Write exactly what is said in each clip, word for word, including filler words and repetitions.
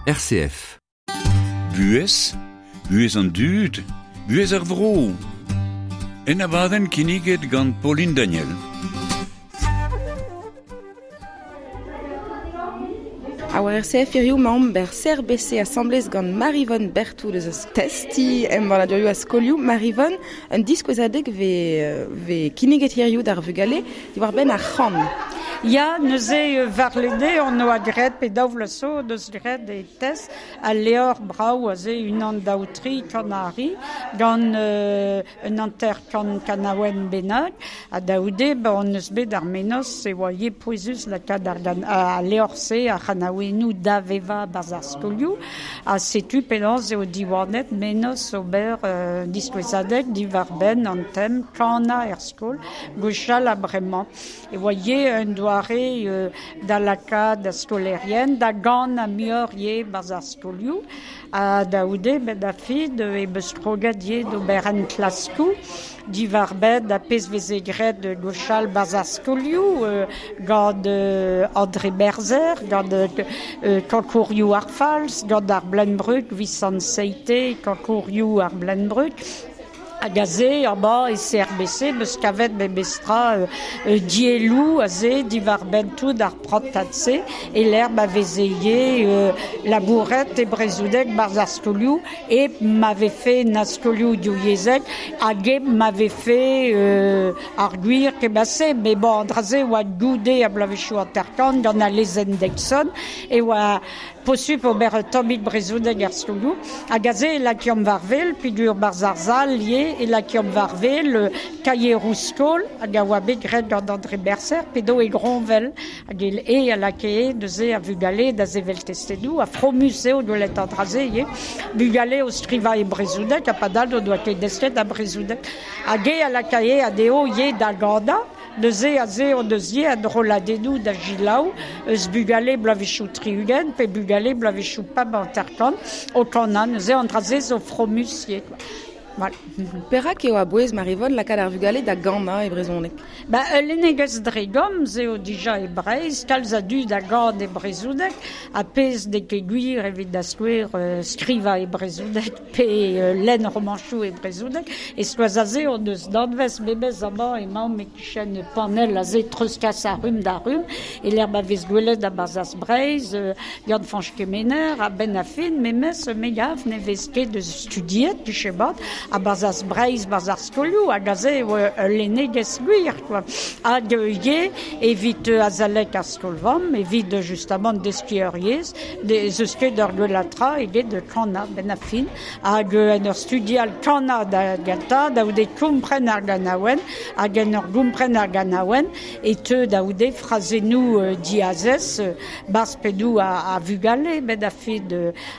R C F. Buhez, buhez an dud, buhez ar vro. En abadenn kinniget gant Pauline Daniel. A war R C F hiziv maomp ber C R B C asamblez gant Maryvonne Berthou deus eus testi embanadurioù a skolioù. Maryvonne, un diskouezadeg ve, ve kinniget hiziv d'ar vugale diwar benn ar c'han. Ya, neuze varlede on oa graet pe daou vloaz zo deus graet e test al leor brav aze unan daou tri kanari gant euh, un hanter kan kanaouen bennak ha daoude ba on eus bet ar menoz e oa ye pouezus lakaat ar gan, a leor-se ar c'hanaouennoù da veva barzh ar skolioù ha setu penaos eo diwanet menoz ober euh, diskouezadeg diwar benn an tem kana er skol gwechall ha bremañ e oa ye un doare euh, da lakaat da skolerien, da gant a muioc'h ye barzh ar skolioù, ha daoude bet da fid e beus kroget ye d'ober en klaskoù, diwar bet da pezh veze graet gwechall barzh ar skolioù, euh, gant euh, André Berzer, gant euh, Kankourioù ar Falz, gant ar Blenbrug, Visant Seite, Kankourioù ar Blenbrug, hag aze, amañ e C R B C, meus kavet memestra euh, euh, dielloù aze diwar benn tout ar prantad-se, e l'herbe a veze ivez euh, labouret e brezhoneg barzh ar skolioù, e m'avait fait na skolioù diouzhek, hag e m'avait fait euh, ar gwir kebase, mais bon, an dra-se oa goude a bloavezhioù hanter-kant gant al lezenn Deixonne, e oa posupl ober un tammig brezhoneg ar skolioù, hag aze e lakiomp war wel, peogwir barzh ar sal ivez, e lakiomp war wel kaieroù skol, hag a oa bet graet gant André Bercer, pedo e Groñvel, hag e e a lakae neuze a vugale da sevel testennoù, a fromus eo gwelet an dra-se ivez, bugale o skrivañ e brezhoneg, ha padal o doa ket desket a brezhoneg. Hag e a lakae anezho ivez da ganañ, neuze aze o deus ivez an rolladennoù da gilaou, eus bugale bloavezhioù tri-ugent, pe bugale bloavezhioù pemp hanter-kant, o kanañ, neuze an dra-se zo fromus ivez, quoi. Voilà. Perak eo a-bouez Maryvonne lakaat ar vugale da ganañ e brezhoneg? Ba, ul lennegezh dre gomz eo dija e Breizh, kalz a dud a gan e brezhoneg, ha pezh n'eo ket gwir evit da skouer euh, skrivañ e brezhoneg pe euh, lenn romanchoù e brezhoneg, e skoaz aze on eus danvez memes amañ emaomp e-kichen panell aze treuzkas ar rumm da rumm, e lec'h ma vez gwelet a-barzh az Breizh, euh, Yann Fañch Kemener, a-benn ar fin, memes me gav ne vez ket eus studiet, tuchebat, a-barzh az Breizh, barzh ar skolioù, hag aze eo ul lennegezh gwir, quoi. Hag ivez evit azalek ar skol-vamm, evit justement deskiñ ur yezh, ez eus ket ur gwellatra eget kanañ benn ar fin, hag en ur studial kanañ da gentañ, daoude kompren ar ganaouenn, hag en ur gompren ar ganaouenn, e teu daoude frazennoù euh, diazez, barzh pennoù a, a vugale benn ar fin,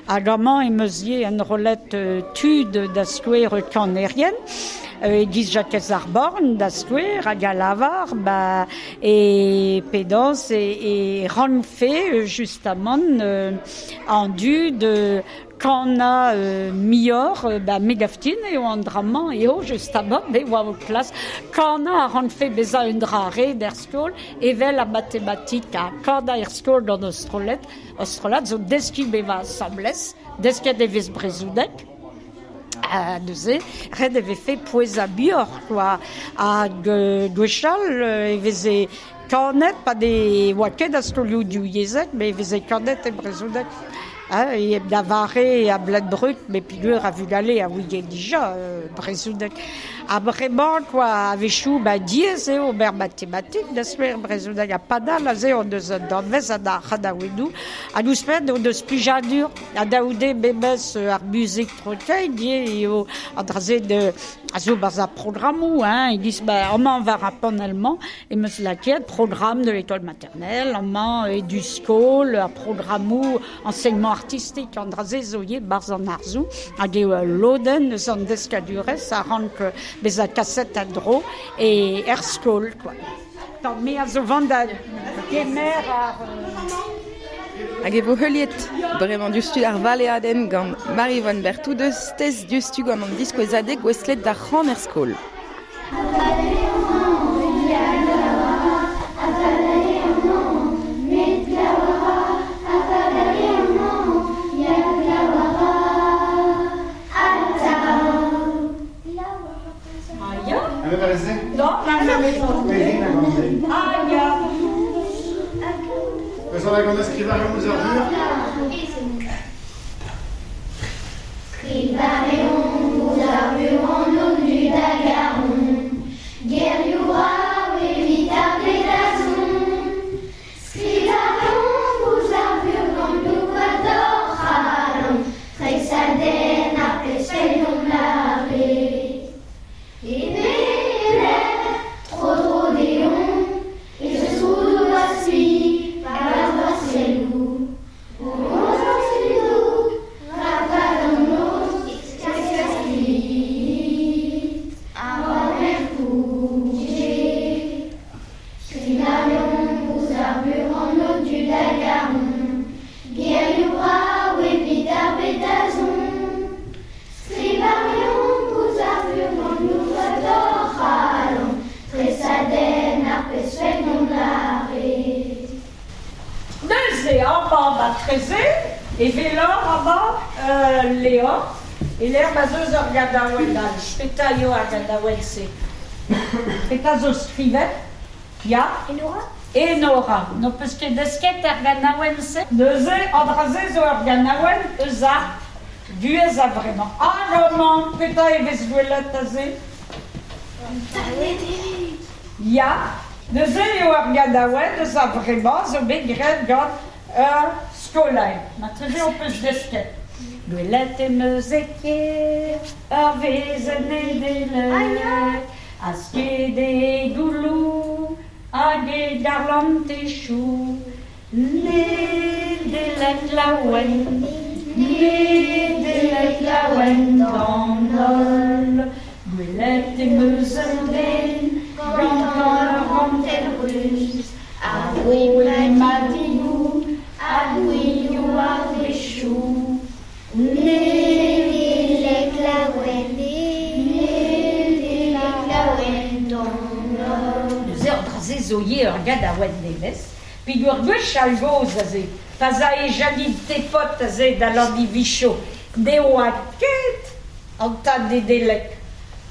hag amañ em eus ivez enrollet euh, tud da skouer kanerien, euh, e-giz Jakez ar Born da skouer hag a lavar, ba, e pedaos e, e rankfe justement euh, an dud euh, kanañ euh, muioc'h, euh, ba, me gaftin eo an dra-mañ eo justement, me oa o klas, kanañ a rankfe bezañ un dra ret er skol, evel ar matematik ha kanañ er skol gant o strollad, o strollad zo deskiñ bevañ asambles, desket e vez brezhoneg. Ha neuze, ret e vefe pouezañ muioc'h, quoi. Hag euh, gwechall e veze kanet, pa ne oa ket a skolioù diouzhek, met e veze kanet e brezhoneg. Hein, e da vare a Blenbrug, met peogwir a vugale a ouie dija euh, brezhoneg. Ha bremañ, quoi, a-wechoù, ba, diaes eo ober matematik da skouer brezhoneg, ha padal aze on deus un danvez ha da c'hanaouennoù, hag ouzhpenn on deus plijadur, ha daoude memes ar muzik troteit ivez eo an dra-se de a zo barzh ar programmoù, hein, e-giz, ba, amañ war ar panell-mañ, em eus lakaet programme de l'école maternelle, amañ e du skol, ar programmoù enseignement artistique, an dra-se zo ivez barzh an arzoù, hag eo ul lodenn eus an deskadurezh a rank bezañ kaset a-dro e er skol, quoi. Tant me a zo vont da kemer ar... Hag e vo heuliet bremañ diouzhtu ar valeadenn gant Maryvonne Berthou deus test diouzhtu gant an diskouezadeg gouestlet d'ar c'han er skol. Met Oa gant a skrivareomp ouzh ar vur. Skrivareomp ouzh ar vur an onu da garon. Gerioù brav evit ar bed da zont. Skrivareomp ouzh ar vur gant louad hor c'halon. Tresadenn ar pezh fellomp lâret. E beler, tro-dro deomp, ez eus roudoù a spi, war ar selloù. O mont ar selloù, rak an noz, skaskaslit, ar merkouje. Skrivareomp ouzh ar vur an odu da garon. Gerioù brav evit ar bed da zont. Skrivareomp ouzh ar vur gant louad hor c'halon. Tresadenn ar pezh fellomp lâret. Neuze amañ ba treze, e velor amañ euh, Léor, e l'er ma zeus ur gadaouenn all, petra eo ar gadaouenn-se. Petra zo skrivet? Ya? Enora? Enora. N'ho peus ket desket ar ganaouenn-se? Neuze, an dra-se zo ur ganaouenn eus ar vuhez a vremañ. Hag amañ, petra e vez gwelet aze? Ya, neuze eo ar ganaouenn eus ar vremañ zo bet graet gant ur skolaer. Marteze ho peus desket. Gwelet em eus e kêr, ur vezenn Nedeleg, a sked e gouloù hag e garlantechoù. Nedeleg laouen, Nedeleg laouen d'an holl. Gwelet em eus un den gant ur vantell ruz, a roe madigoù ha gouelioù ar vechoù. Nedeleg laouen, Nedeleg laouen d'an holl. Neuze an dra-se zo ivez ur gadaouenn nevez, peogwir gwech all gozh aze, pa 'z ae Janine Tepot aze da Landivicho, ne oa ket an tad Nedeleg.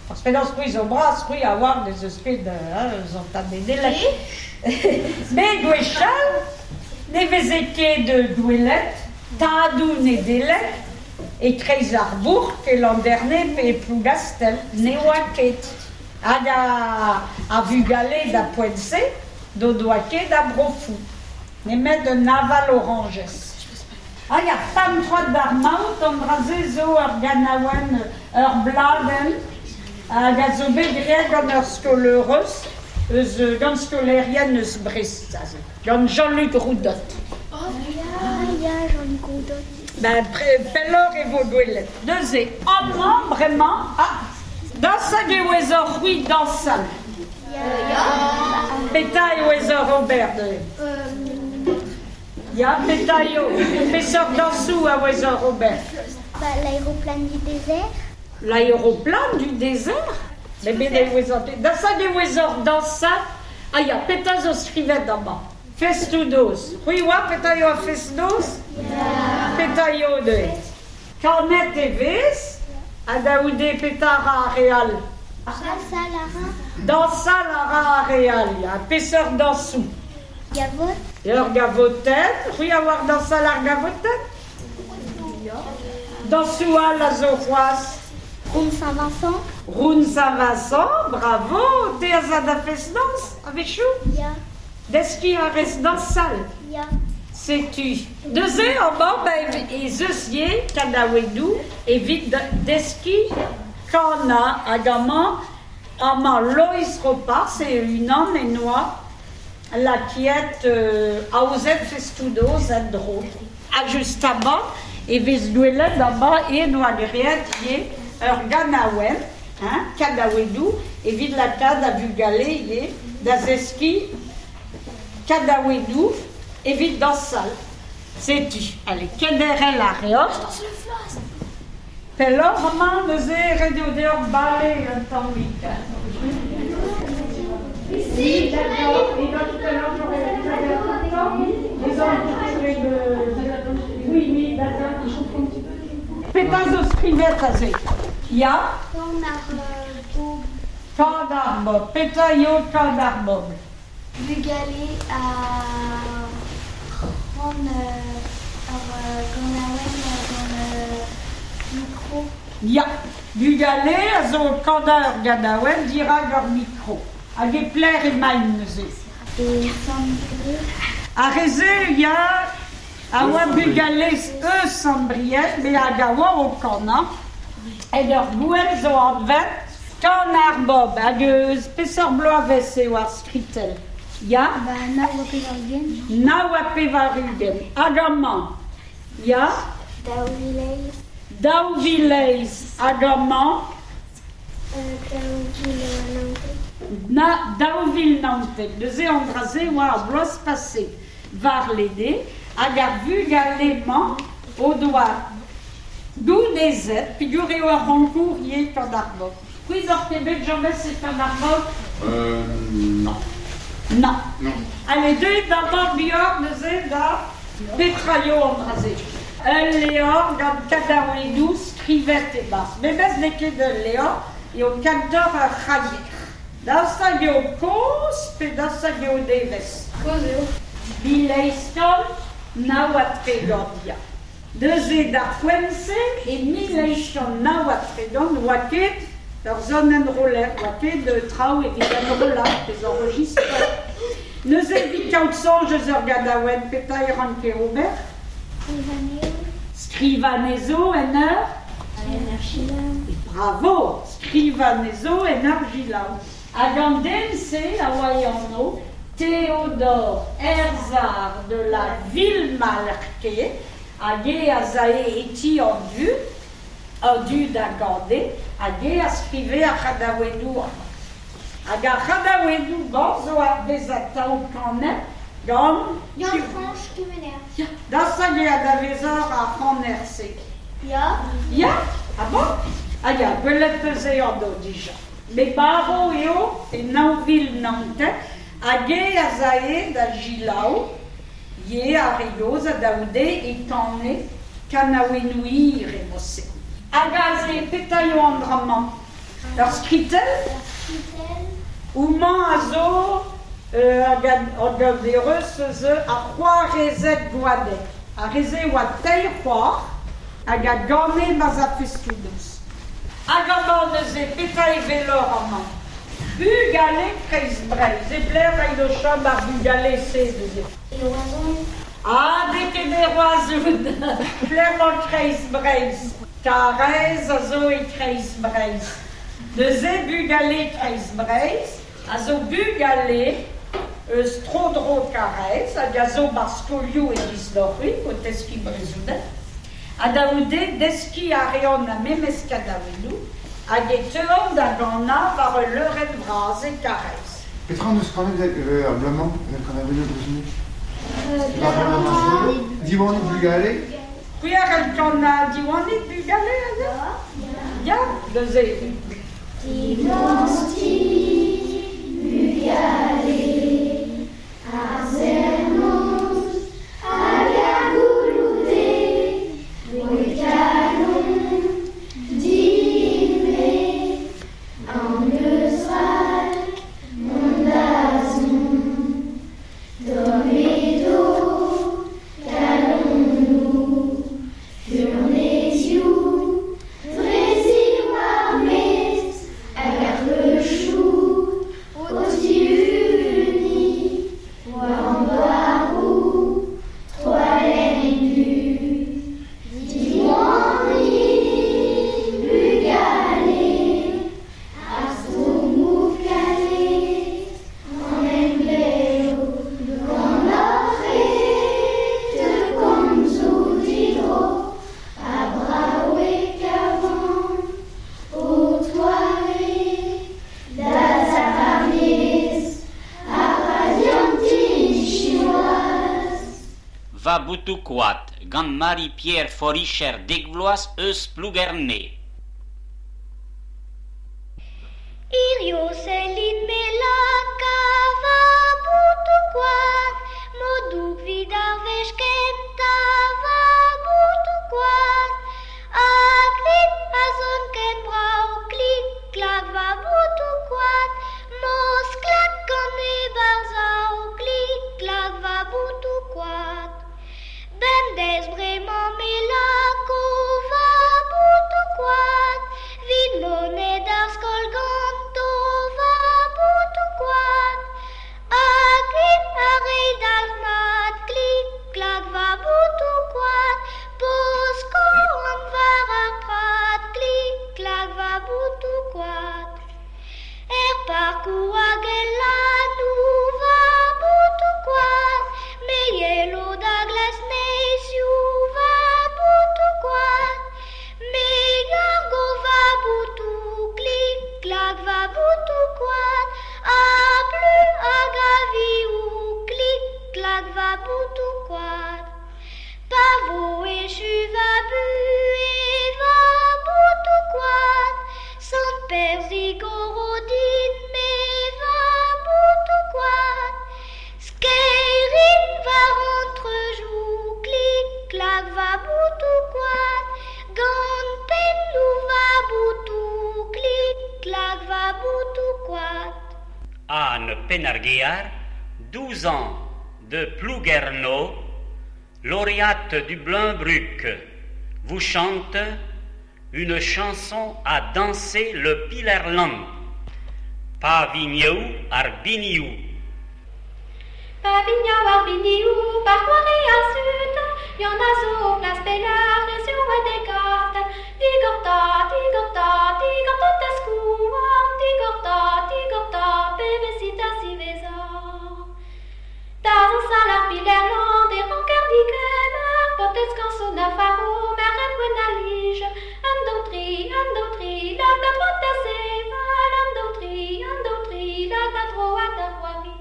Parce que penaos c'hwi zo bras, c'hwi a oar n'ez eus ket hein, eus an tad Nedeleg. Met gwechall, ne veze ket gwelet, tadoù Nedeleg, e kreiz ar bourk e Landerne pe e Plougastel, ne oa ket. Hag a, a vugale da poent-se, d'o doa ket a brofou. Nemet un aval oranjez. Hag ar pemp troad d'ar maout, an dra-se zo ur ganaouenn, ur bladenn, hag a zo bet graet gant ur skolaerez, eus gant skolaerien eus Brest, aze, gant Jean-Luc Roudot. Oh, ya, ya, Jean-Luc Roudot. Ben, pelloc'h e vo gwelet. Neuze, amañ, bremañ, ah, dañsal eo ez ur c'hwi dañsal. Ya, ya. Petra eo ez ur Robert neuze? Ya, petra eo? Peseurt dañsoù a oez ur Robert? Bah, l'aéroplane du désert. L'aéroplane du désert? Mais bet eo ez ur... Dañsal eo ez ur dañsal. Ah ya, petra zo skrivet amañ? Festoù-noz. C'hwi oa petra eo ar fest-noz? Ya. Petra eo neuze? Kanet e vez, ha da goude petra a ra ar re all? Dañsal a ra. Dañsal a ra ar re all, ya. Peseurt dañsoù? Gavot. Ur gavotenn. C'hwi a oar dañsal ar gavotenn? Ya. Dañsoù all a zo c'hoazh? Round Saint-Vincent. Round Saint-Vincent, bravo. Te a za da fest-noz, a-wechoù? Ya. Deskiñ a rez dañsal? Ya. Setu. Neuze amañ, ben, ez eus ivez kanaouennoù evit deskiñ kanañ hag amañ, amañ Loeiz Ropars e unan en oa lakiet euh, aozet festoù-noz en-dro. Ha just amañ, e vez gwelet amañ en oa graet ivez ur ganaouenn, hein, kanaouennoù, evit lakaat da vugale ivez da zeskiñ kanaouennoù evit dañsal. Setu, allez, kenderc'hel a reot. Dañs le floss. Pelloc'h amañ neuze ret eo deoc'h bale un tammig. Ici, Oui, oui, d'accord. Petra zo skrivet aze? Ya? Kan ar bobl. Kan ar bobl. Petra eo kan ar bobl? Bugale a Ran ur ganaouenn gant mikro. Ya, bugale a zo kanañ ur ganaouenn dirak ur mikro. Hag e pler emaint neuze. E Sant-Brieg. Ar re-se, ya, a oa bugale eus Sant-Brieg, me hag a oa o kanañ. En ur gouel zo anvet kan ar bob, hag eus peseurt bloavezh eo ar skritell. Ya? Ba, nav ha pevar-ugent. Nav ha pevar-ugent. Hag amañ? Ya? Daou vil eizh. Daou vil eizh. Hag amañ? Euh, daou vil naontek. Na, daou vil naontek. Neuze an dra-se oa ar bloaz pase war lede, hag ar vugale-mañ o doa gounezet, peogwir eo ar c'honkour ivez gant ar bob. C'hwi n'oc'h ket bet james e kan ar bob? Euh, non. Non. Non. Allez, deuit d'amañ bihan neuze da petra eo an dra-se. Ul levr gant kanaouennoù skrivet e-barzh. Memes n'eo ket ul levr, eo kentoc'h ur c'haier. Daoust hag eo kozh pe daoust hag eo nevez? Kozh eo. Mil eizh kant nav ha tregont, ya. Neuze d'ar poent-se, e mil eizh kant nav ha tregont, oa ket ur sonenn roller, oa ket traoù evit enrollañ, pezh enregistreur. Neuze evit kaout soñj eus ur ganaouenn, petra e ranke ober? Skrivañ anezho en ur? En ur selaou. Bravo! Skrivañ anezho en ur selaou. Hag an den-se a oa e anv Théodore Herzard de la Villemarqué, hag e a zae e ti an dud, an dud a gane, hag e a skrive ar c'hanaouennoù. Hag ar c'hanaouennoù-mañ zo ar vez atav kanet gant... Yann-Fañch Kemener. Ya, daoust hag eo anavezoc'h ar c'haner-se? Ya. Ya? Ah bon? Ah ya, gwelet peus eo anv dija. Me marv eo e nav vil naontek, hag e a zae da selaou, ye ar re gozh ha daoude e kane kanaouennoù hir e mod-se. Hag aze, petra eo an dra-mañ? Ur skritell? Ur skritell. Houmañ a zo hag an ereus eus ar c'hoarezed Goadeg. Ar re-se oa teir c'hoar hag a gane ma'z a festoù-noz. Hag amañ neuze, petra e weloc'h amañ? Bugale Kreiz Breizh. E pelec'h eo o chom ar bugale-se neuze? E Roazhon. Ah, n'eo ket e Roazhon. Pelec'h emañ Kreiz Breizh? Karaez a zo e Kreiz Breizh. Neuze bugale Kreiz Breizh a zo bugale eus tro-dro Karaez hag a zo bar skolioù e Giz-Loc'hwil o teskiñ brezhoneg. Ha da c'houde deskiñ a reont ar memes kanaouennoù hag e teuont da ganañ war ul leurenn vras e Karaez. Petra hon eus kanet ar bloaz-mañ evel kanaouennoù brezhoneg? Diwanit bugale? C'hwi a c'hell kanañ Diwanit bugale aze? Ya, neuze. Diwanit bugale, ar serr-noz hag ar gouloù-deiz, roit kalon din-me, an eus rak mont da zont, tomm edo kalonoù, furnezioù, dre ziwar maez, hag ar reuchoù o tihuniñ war an douaroù, troalenn du. Diwanit bugale, ar stourmoù kalet, an emglev ganeoc'h e teu komzoù didro, ha brav e kavan ho toare da zavarnez ar radianti siwazh. Va boutoù koad gant Marie-Pierre Foricher dek vloaz eus Plougerne. Hirio sellit me laka va boutoù koad, m'o doug 'vit ar wech kentañ va boutoù koad. Ha klik a zon ken brav, klik klak va boutoù koad, m'o sklak gant e barzhav, klik klak va boutoù koad. klak va boutou koad, gant pennou va boutou, klik klak va boutou koad. Anne Penarguiar, douze ans, de Plouguerneau, lauréate du Bleunbrug, vous chante une chanson à danser le Pilerland. Pa vignou ar biniou. Pa vignou ar biniou, par c'hoari ar sut, y'en a zo plas pelar, e zo a degat. Digorta, digorta, digorta ta skouarn, digorta, digorta, pebezit a ziveza. Da zañsal ar Pilerland e ranker digemer, potez kanson a faro, merc'hed gwenn a lij. Un, daou, tri, un, daou, tri, lak da droad da sevel, un, daou, tri, un, daou, tri, lak da droad da c'hoari.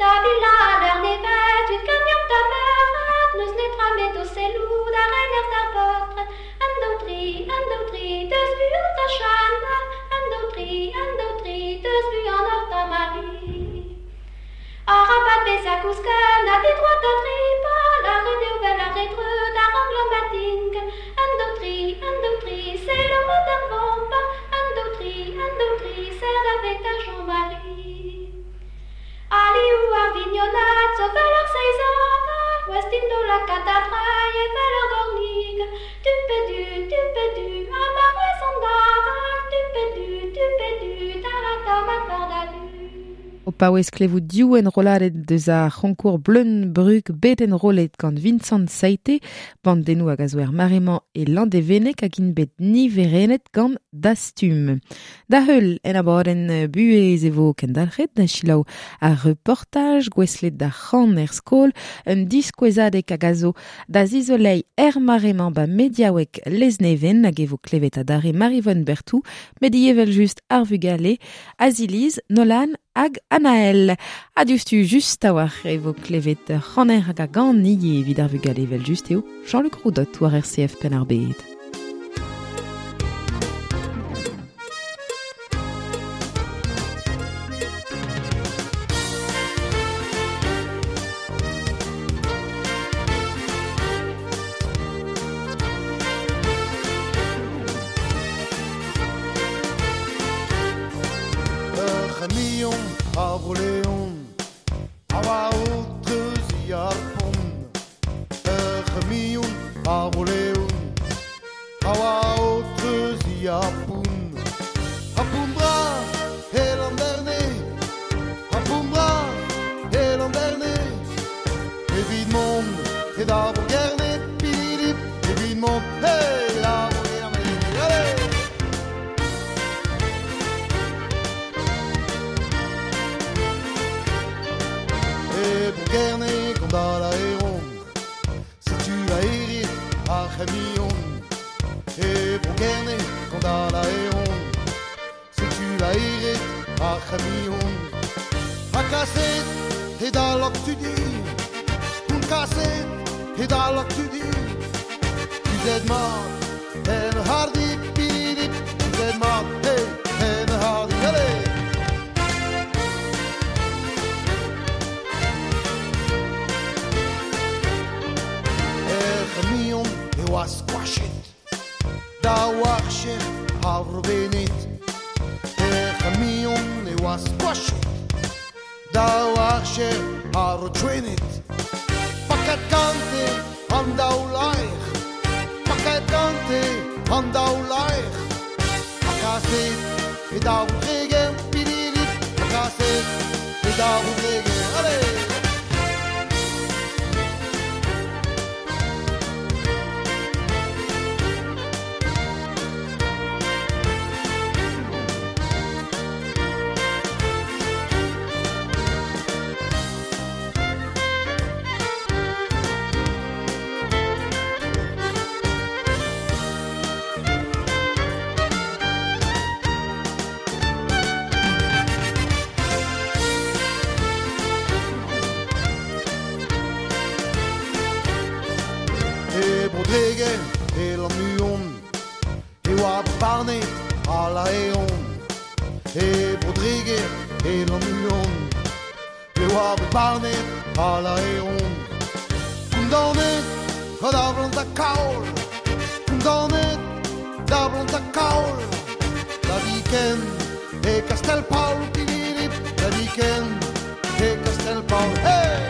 Da bila l'heure nevet, tud gagnant da merc'hed, n'eus netra met o sellou da rener d'ar paotred. Un, daou, tri, un, daou, tri, deus buan da chanal, un, daou, tri, un, daou, tri, deus buan hor da mari. Arabat bezañ kousket, na de droit da tripal, ar re eo vel ar re dreut, ar anglo matinkel. Un, daou, tri, un, daou, tri, c'est le mot d'ar vampa. Un, daou, tri, un, daou, tri, c'est da vet a Jean-Marie. Aliou ar vignonad, zo vel ar seiz aval, West indo la katadrail e vel ar gornig. Tu pe du, tu pe du, a mar wez an daval, tu pe du, tu pe du, da la tamat war da du. O paouez klevout div enrolladet deus ar c'honkour Bleunbrug bet enrollet gant Vincent Saite, bandennoù hag a zo er mare-mañ e Landévennec hag int bet niverennet gant Dastum. Da heul en abadenn buhez e vo kendalc'het da selaou ar reportaj gouestlet d'ar c'han er skol, un diskouezadeg hag a zo da zizoleiñ er mare-mañ ba mediaoueg Lesneven hag e vo klevet adarre Maryvonne Berthou, met ivez evel-just ar vugale, Aziliz, Nolan hag Anaël. Ha diouzhtu just a-walc'h e vo klevet c'haner hag a gan ivez evit ar vugale evel-just eo Jean-Luc Roudot war R C F Penn-ar-Bed. E oa bet barnet a laeron. Kondaonet Da blant a kaol, danet, da blant a kaol, da viken e Castel Paul, pilirip, da viken e Castel Paul, hey!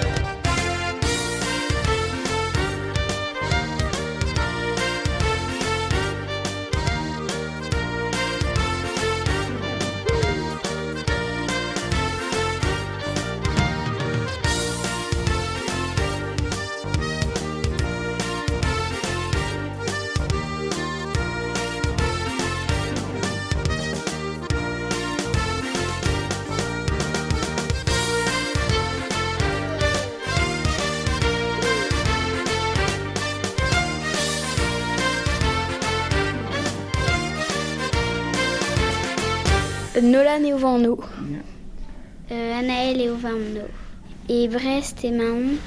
Nolan eo vanno. Euh, Anaël eo vanno. E Brest emaomp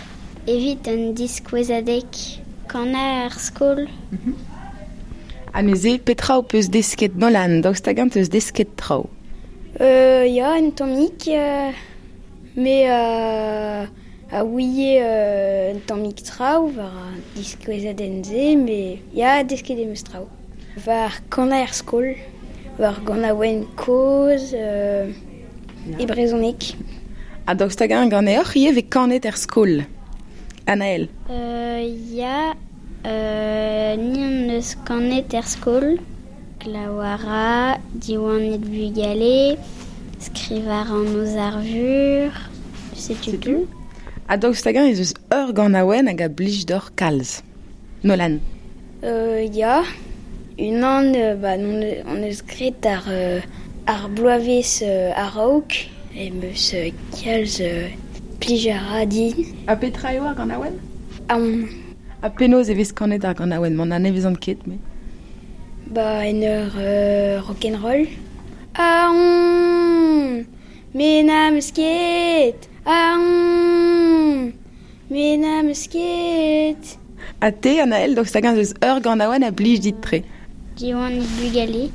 evit un diskouezadeg kana ar skol. Mm-hmm. Ha neuze, petra ho peus desket Nolan, daoust hag-eñ teus desket traoù? Euh, ya, un tammig, euh, me euh, a ouie euh, un tammig traoù war an diskouezadenn-se, me ya, desket em eus traoù. War kana ar skol, war ganaouenn kozh, euh, e brezhoneg. Ha daoust hag-eñ ganeoc'h ivez vez kanet er skol? Anaël. Euh, ya, euh, ni an eus kanet er skol. Klawara, Diwanit bugale, skrivar an oz ar vur, setu tout. Ha daoust hag-eñ ez eus ur ganaouenn hag a blij deoc'h kalz? Nolan. Euh, ya, unan, euh, ba, non, on eus graet ar, euh, ar bloavezh euh, a-raok, em eus euh, kalz euh, plij a ra din. Ha petra eo ar ganaouenn? Aon. Ha penaos e vez kanet ar ganaouenn? M'en anavezan ket, me. Ba, en ur euh, rock'n'roll. Aon, me n'am eus ket. Aon, me n'am eus ket. Ha te, Anaël, daoust hag-eñ ez eus ur ganaouenn a blij dit-tre? Diwanit bugale.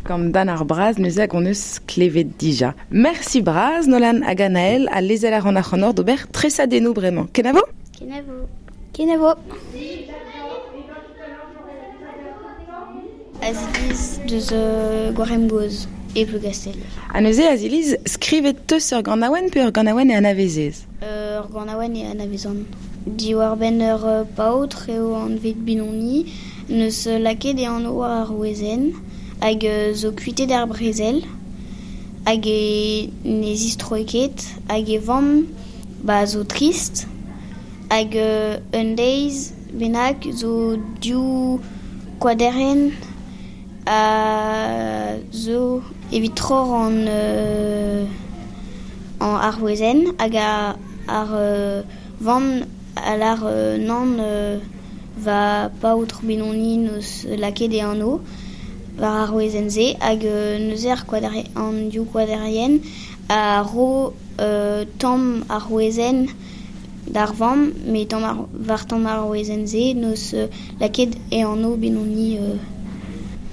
Gant Dan ar Braz neuze hag hon eus klevet dija. Merci braz, Nolan hag Anaël, a lezel ar an ac'hanoc'h d'ober tresadennoù bremañ. Kenavo? Kenavo. Kenavo. Aziliz deus euh, Gwarem-Goz e Plougastel. Ha neuze, Aziliz, skrivet teus ur ganaouenn pe ur ganaouenn e anavezez? Euh, ur ganaouenn e anavezan. Diwar-benn ur euh, paotr eo anvet Benoni, neus lakaet e anv ar wezenn, hag euh, zo kuitet ar brezel, hag e ne zistroe ket, hag e vamm ba zo trist, hag euh, un deiz bennak zo div koaderen a zo evit troc'h an, euh, an ar wezenn, hag a, ar euh, vamm a lar euh, nann euh, va paotr Benoni neus lakaet e anv war ar wezenn-se, hag euh, neuze ar koadere, an div koaderien a ro euh, tamm ar wezenn d'ar vamm, met tamm ar, war tamm ar wezenn-se neus euh, lakaet e anv Benoni. Euh,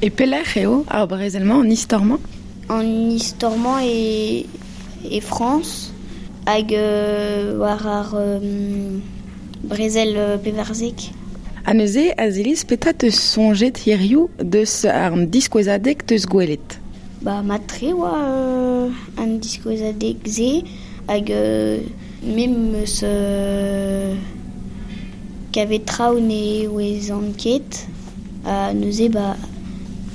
E pelec'h eo ar brezel-mañ, an istor-mañ? An istor-mañ e, e Frañs, hag euh, war ar euh, brezel euh, pevarzek. Ha neuze, Aziliz, petra teus soñjet hiziv deus ar diskouezadeg teus gwelet? Ba, mat-tre oa euh, an diskouezadeg-se, hag euh, me 'm eus euh, kavet traoù ne ouezan ket, ha neuze ba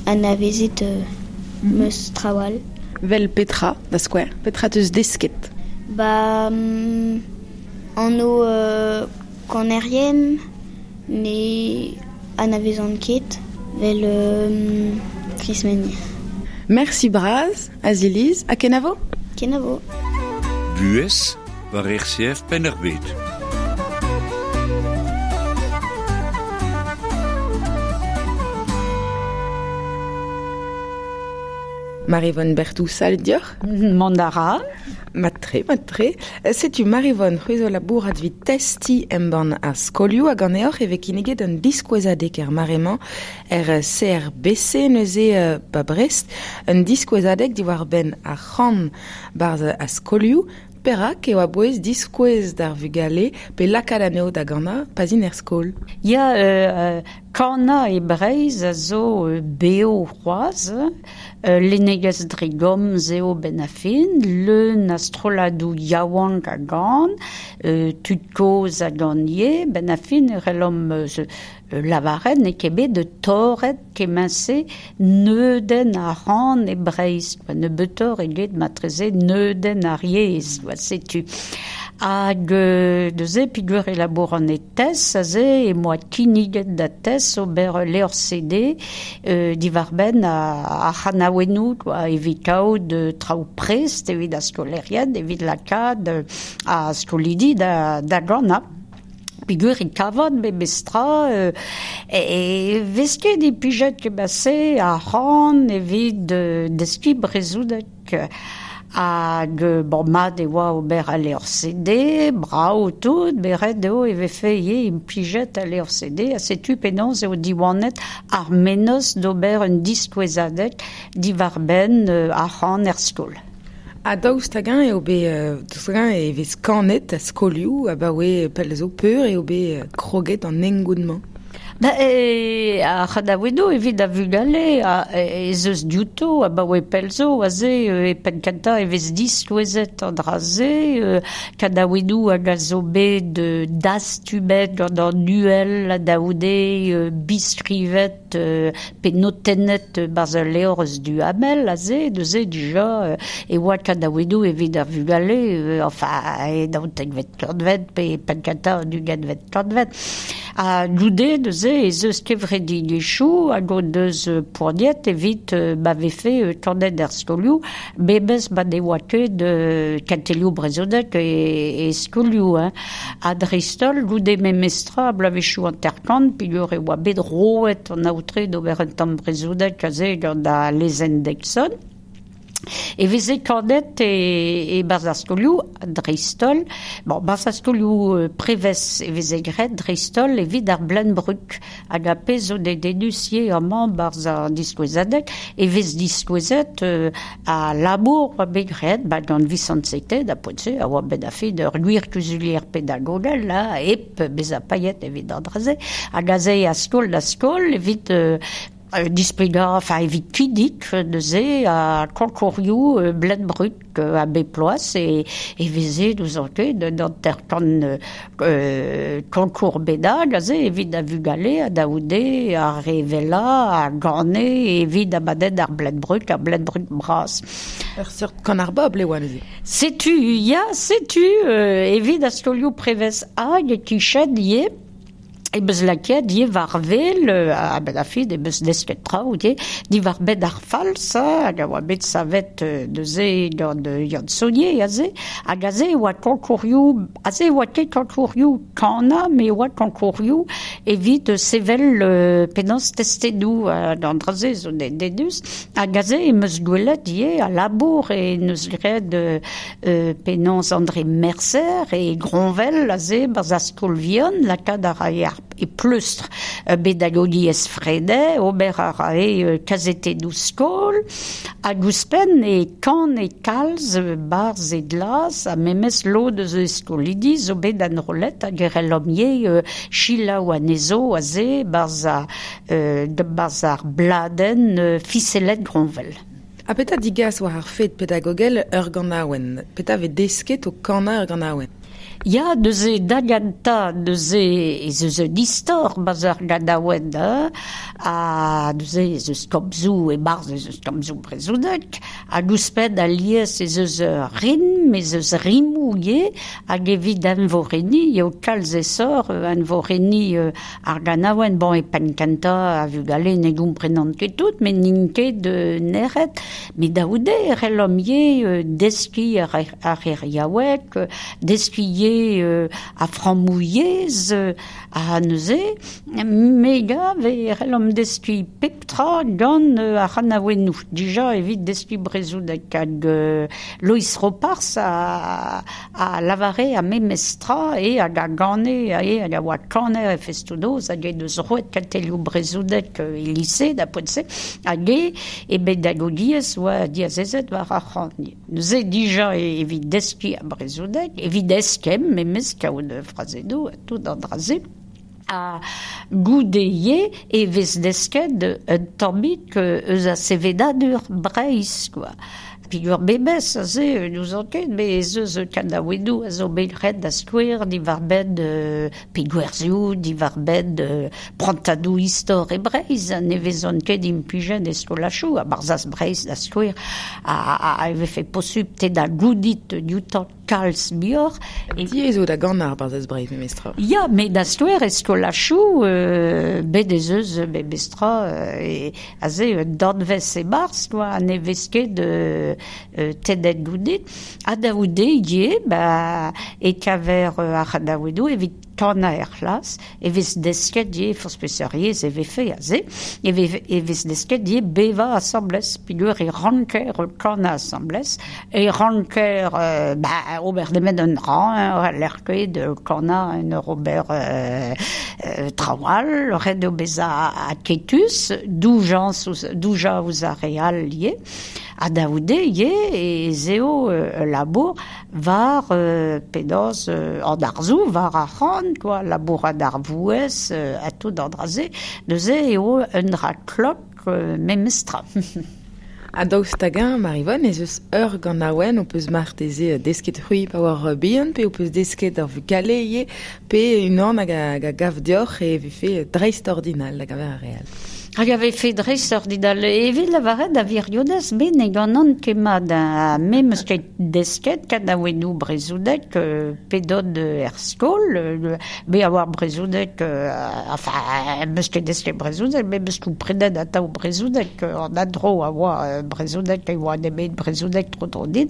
anavezet euh, mm-hmm. meus traoù all. Vel petra, da skouer, petra teus desket? Ba, mm, anv euh, kanerien ne anavezan ket, vel euh, Krismeni. Merci braz, Aziliz, ha kenavo? Kenavo. Buhez war R C F Penn-ar-Bed. Maryvonne Berthou, salut dioc'h. Mont a ra. Mat-tre, mat-tre. Setu Maryvonne, c'hwi zo labourat evit testiñ embann ar skolioù hag ganeoc'h e vez kinniget un diskouezadeg er mare-mañ er C R B C neuze euh, ba Brest, un diskouezadeg diwar-benn ar c'han barzh ar skolioù. perak eo a-bouez diskouez d'ar vugale pe lakaat anezho da ganañ pa zint er skol. Ya, euh, kana e Breizh a zo euh, beo c'hoazh, euh, lennegezh dre gomz eo ben a fin, leun a strolladoù yaouank a gan, euh, tud kozh a gan ivez, ben a fin e c'hellomp euh, lavaret n'eo ket bet de torret kement-se neudenn ar c'han e Breizh, quoi, nebeutoc'h eget matreze neudenn ar yezh, quoi, setu. Hag euh, neuze peogwir e labouran e TES aze e moa kinniget da TES ober levr C D euh, diwar-benn ar c'hanaouennoù, quoi, evit kaout euh, traoù prest evit ar skolaerien, evit lakaat euh, ar skolidi da, da ganañ. Peogwir e kavan memestra euh, e, e vez ket implijet kement-se ar c'han evit euh, deskiñ brezhoneg. Hag bon, mat e oa ober al levr C D, brav tout, beret eo e vefe ivez implijet al levr C D, ha setu penaos eo diwanet ar mennozh d'ober un diskouezadeg diwar-benn euh, ar c'han er skol. Ha daoust hag-eñ eo bet, euh, daoust hag-eñ e vez kanet a skolioù abaoe pell zo peur eo bet kroget an hengoun-mañ. Ba, e, ar c'hanaouennoù evit ar vugale a, ez eus diouto abaoe pell zo aze e penn kentañ e vez diskouezet an dra-se, euh, kanaouennoù hag a zo bet euh, dastumet gant an uhel ha daoude euh, biskrivet euh, pe notennet barzh ul levr eus Duhamel aze, neuze dija euh, e oa kanaouennoù evit ar vugale, euh, enfin e daoutekvet kantved pe penn kentañ an ugentvet kantved. Ha goude neuze ez eus kevredigezhioù hag o deus poaniet evit euh, ma vefe euh, kanet er skolioù, memes ma ne oa ket euh, kentelioù brezhoneg e, e skolioù. Hein. Ha dreist-holl goude memestra bloavezhioù hanter-kant peogwir e oa bet roet an aotre d'ober un tamm brezhoneg aze gant al lezenn Deixonne. E veze kanet e, e barzh ar skolioù dreist-holl, bon, barzh ar skolioù euh, prevez e veze graet dreist-holl evit ar Bleun-Brug hag ar pezh zo dedennus ivez amañ barzh ar diskouezadeg e vez diskouezet euh, a labour oa bet graet ba gant Visant Seite da poent-se a oa bet a-fet ur gwir kuzulier pedagogel là, hep bezañ paeet evit an dra-se hag aze a skol da skol evit euh, Euh, displegañ, enfin evit kinnig neuze a konkourioù euh, Bleun-Brug euh, a bep bloaz e, e veze n'ouzon ket d'un hanter-kant euh, konkour bennak aze evit a vugale a daoude a revela a gane evit abadenn ar Bleun-Brug, ar Bleun-Brug bras. Ur seurt kan ar bobl e oa neuze. Setu, ya, setu, euh, evit ar skolioù prevez hag e kichen ivez. E beus lakaet ivez war wel, a ben a fin e beus desket traoù ivez, diwar benn ar falz, hag a oa bet savet neuze gant Yann Saunier aze, hag aze e oa konkourioù, aze e oa ket konkourioù kanañ, met e oa konkourioù evit sevel euh, penaos testennoù an dra-se zo dedennus, hag aze e meus gwelet ivez a labour e neus graet euh, penaos André Mercer e Gronvel aze barzh ar skol vihan, lakaat a rae ar e pleustr pedagogiezh Freinet, ober a rae kazetennoù skol, hag ouzhpenn e kan e kalz barzh e glas, ha memes lod eus e skolidi zo bet enrollet hag e c'hellomp ivez selaou anezho aze barzh ar, euh, barzh ar bladenn euh, Fiselet Gronvel. Ha petra digas war ar fed pedagogel ur ganaouenn? Petra vez desket o kanañ ur ganaouenn? Ya, neuze da gentañ neuze ez eus un istor barzh ar ganaouenn, hein, ha neuze ez eus komzoù e-barzh ez eus komzoù brezhoneg, hag ouzhpenn alies ez eus ur rim, ez eus rimoù ivez, hag evit envorenniñ eo kalz aesoc'h envorenniñ ar ganaouenn. Bon, e penn kentañ a vugale ne gomprenant ket tout, met n'int ket nec'het, met daoude e c'hellomp ivez deskiñ ar, ar c'heriaoueg, deskiñ ivez euh, a frammoù yezh, Ha neuze, me gav e c'hellomp deskiñ pep tra gant ar c'hanaouennoù. Dija evit deskiñ brezhoneg hag euh, Lois Ropars a, a lavare a memes tra e hag a gane e hag a oa kaner e festoù-noz hag e deus roet kentelioù brezhoneg e lise da poent-se hag e e pedagogiezh oa diazezet war ar c'han. Neuze dija evit deskiñ ar brezhoneg, evit eskemm memes kaout frazennoù ha tout an dra-se. A goude ivez e vez desket un tammig eus a sevenadur Breizh, quoi. Peogwir memes aze n'ouzon ket, met ez eus kanaouennoù a zo bet graet da skouer diwar-benn euh, pe gwerzioù, diwar-benn euh, prantadoù istor e Breizh, ne vezont ket implijet e skolajoù, ha Barzhaz Breizh da skouer a, a, a vefe posupl te da goudit dioutañ kalz muioc'h. Diaes eo da ganañ ar Barzhaz Breizh memestra. Ya, met da skouer e skolajoù, euh, bet ez eus memestra euh, e aze un danvez e-barzh, quoi, ne vez ket euh, euh, tennet goude. Ha da goude ivez, ba, e kaver euh, ar c'hanaouennoù evit kanañ er c'hlas, e vez desket ivez forzh peseurt yezh e vefe aze, e vez, e vez desket ivez bevañ asambles, peogwir e ranker kanañ asambles, e ranker euh, ba, ober nemet un dra, hein, lec'h ket kanañ en ur ober euh, euh, traoù all, ret eo bezañ aketus, doujañs ouzh, doujañ ouzh ar re all ivez. Ha da goude ivez ez eo euh, labour war euh, penaos euh, an arzoù, war ar c'han, quoi, labourat ar vouezh euh, ha tout an dra-se, neuze eo un dra klok euh, memestra. Ha daoust hag-eñ, Maryvonne, ez eus ur ganaouenn ho peus marteze desket c'hwi pa oar bihan, pe ho peus desket ar vugale ivez, pe unan hag a, hag a gav deoc'h e vefe dreist-ordinal da gaver ar re all. Hag a vefe dreist-ordinal evit lavaret da wirionez, me ne ganan ket mat ha me 'm eus ket desket kanaouennoù brezhoneg euh, p'edon er skol, euh, me a oar brezhoneg, euh, enfin, 'm eus ket desket brezhoneg, me 'm eus komprenet atav brezhoneg, an endro a oa euh, brezhoneg, e oa nemet brezhoneg tro-dro din.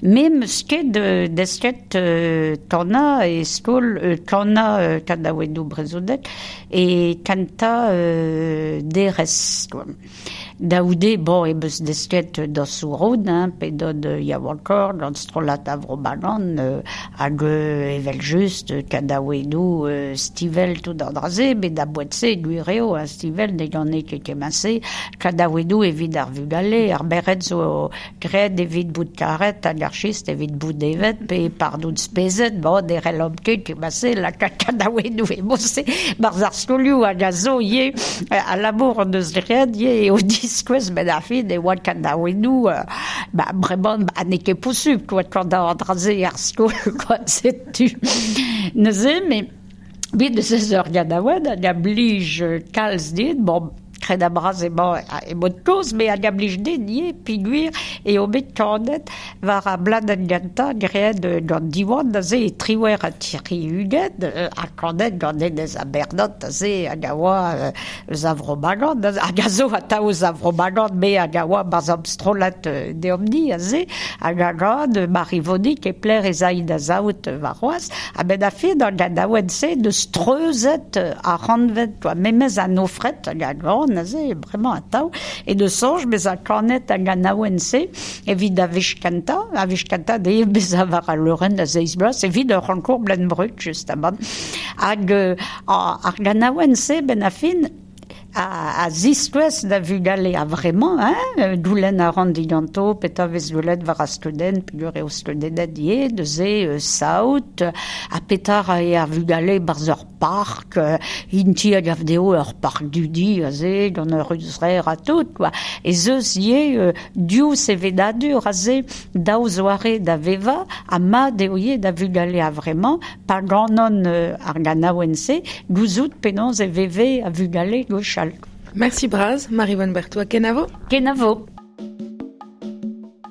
Me 'm eus ket euh, desket euh, kanañ e skol, euh, kanañ euh, kanaouennoù brezhoneg e kentañ euh, derez, quoi. Da goude, bon, e 'm eus desket dañsoù roud, hein, p'edon yaouankoc'h, gant strollad a Vro Bagan, euh, hag euh, evel-just kanaouennoù euh, Stivell tout an dra-se, met da boent-se, gwir eo, hein, Stivell ne gane ket kement-se, kanaouennoù evit ar vugale, ar merc'hed zo graet evit bout karet, hag ar chist evit bout evet, pe pardon spezet, bon, ne c'hellomp ket kement-se, lakaat kanaouennoù e-mod-se, barzh ar skolioù hag a zo ivez, a labour an deus graet ivez eo diskouez met ar fin e oa kanaouennoù, euh, ba, bremañ, ba, n'eo ket posupl, quoi, kanañ an dra-se er skol, quoi, setu. Neuze, met bet eus eus ur ganaouenn hag a blij kalz din, bon, kred a bras emañ e mod kozh, met hag a blij din ivez, peogwir eo bet kanet war ar bladenn gentañ graet gant Diwan aze e triwec'h ha tri-ugent, ha kanet gant Denez Abernot aze hag a oa eus a Vro Bagan, hag a zo atav eus a Vro Bagan, me hag a oa barzh am strollad deomp-ni aze, hag a gant Maryvonnig e pler ez a da saout warc'hoazh, ha benn ar fin an ganaouenn-se deus treuzet ar c'hantved, quoi, memes an ofret hag a gant aze, bremañ atav, e deus soñj bezañ kanet ar ganaouenn-se evit ar wech kentañ, ar wech kentañ dezhe bezañ war al leurenn da seizh bloaz, evit ur c'honkour Bleun-Brug, justamant. Hag euh, ar ganaouenn-se, benn ar fin, a, a ziskouez da vugale a vremañ, hein, goulenn a ran diganto, petra vez gwelet war ar skeudenn, peogwir eo skeudennet ivez, neuze euh, saout, ha petra a eo ar vugale barzh ur park, euh, int-i a gav dezho ur park dudi aze, gant ur ruzrer ha tout, quoi. Ez eus ivez euh, div sevenadur aze, daou zoare da vevañ, ha mat eo ivez da vugale a vremañ, pa ganan euh, ar ganaouenn-se, gouzout penaos e veve a vugale gwechall. Merci bras, Maryvonne Berthou, kenavo. Kenavo.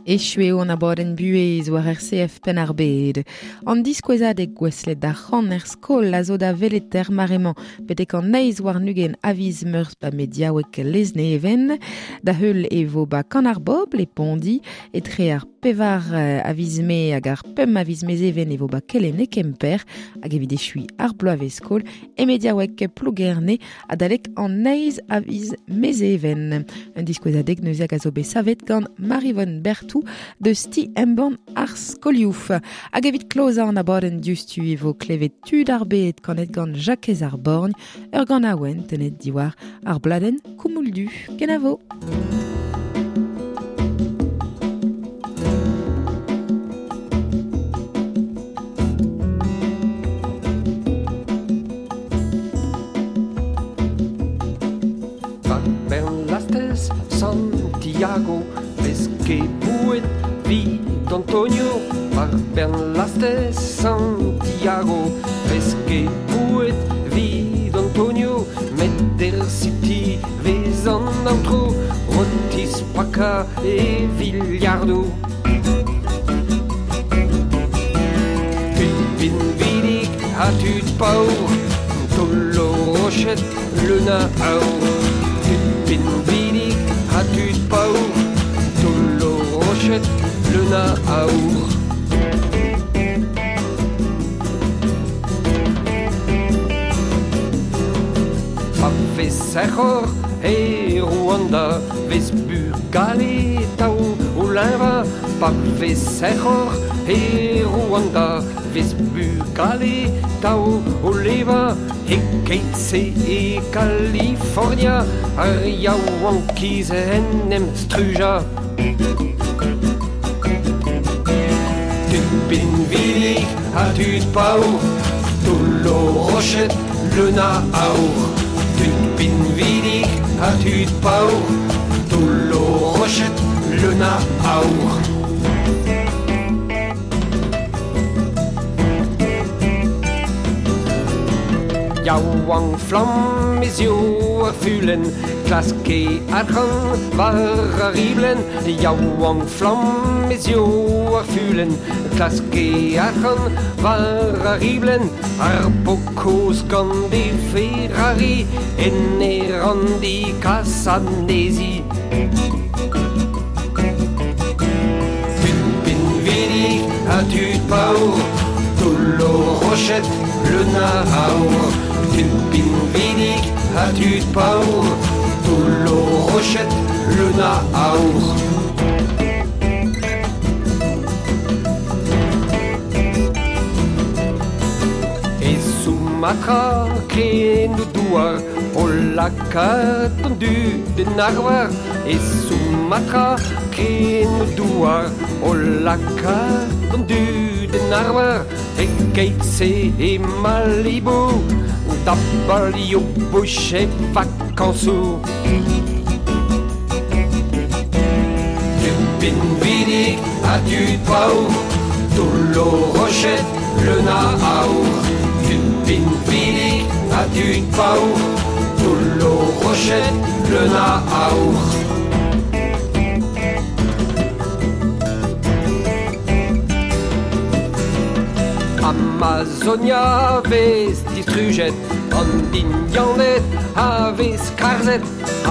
Echu eo an abadenn buhez war R C F Penn-ar-Bed. An diskouezadeg gouestlet d'ar c'han er skol a zo da welet er mare-mañ betek an eizh warn-ugent a viz Meurzh ba mediaoueg Lesneven. Da heul e vo ba Kan ar Bobl e Pondi, etre ar pevar a viz me hag ar pemp a viz mezeven e vo ba kelen e Kemper hag evit echui ar bloavezh skol e mediaoueg Plougerne adalek an neiz a viz mezeven. Un diskouezadeg neuze hag a zo bet savet gant Maryvonne Berthou deus ti embann ar skolioù. Hag evit klozañ an abadenn diouzhtu e vo klevet tud ar bed kanet gant Jakez ar Borgn, ur ganaouenn tenet diwar ar bladenn Koumouldu. Kenavo. Bernlastez Santiago vez ket bouet vid Antonio. War Bernlastez Santiago vez ket bouet vid Antonio. Met der City vez an aotro rotis paka e villardo. Tud pinvidik ha tud paour tollo rochet leun a aour. Tud pinvidik ha tud paour tollo rochet leun a aour. Pa vez sec'hor e Rwanda vez bugale tao o leñva. Pa vez sec'hor e Rwanda vez bugale tao o leva. E keit-se e California ar yaouankiz en em struja. Tud pinvidik ha tud paour tollo rochet leun a aour. Tud pinvidik ha tud paour tollo rochet leun a aour. Yaouank flamm ez eo ar fulenn klaske arc'hant war ar riblenn. Yaouank flamm ez eo ar fulenn klaske arc'hant war ar riblenn. Ar pokoz gant e Ferrari en e randi kas anezi. Tud pinvidik ha tud paour tollo rochet leun a aour. Tud pinvidik ha tud paour tollo rochet leun a aour. E Sumatra kren o douar o lakaat an dud en arvar. E Sumatra kren o douar o lakaat an dud en arvar. E keit-se e Malibu da balio bouch e vakansoù. Tud pinvidik ha tud paour tollo rochet leun a aour. Tud pinvidik ha tud paour tollo rochet leun a aour. Amazonia vez distrujet an Indianed a vez karzet.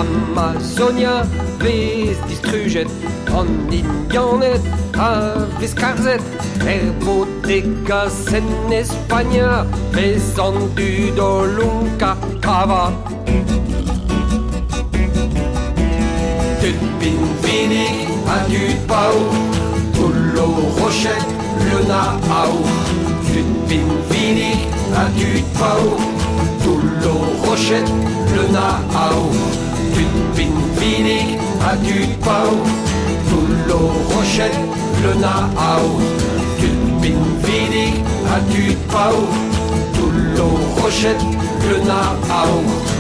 Amazonia vez distrujet an Indianed a vez karzet. Er bodegas en Espagna vez an dud o lonka kava. Tud pinvidik ha tud paour tollo rochet leun a aour. Tud pinvidik ha tud paour tollo rochet leun a aour. Tud pinvidik ha tud paour tollo rochet leun a aour. Tud pinvidik ha tud paour tollo rochet leun a aour.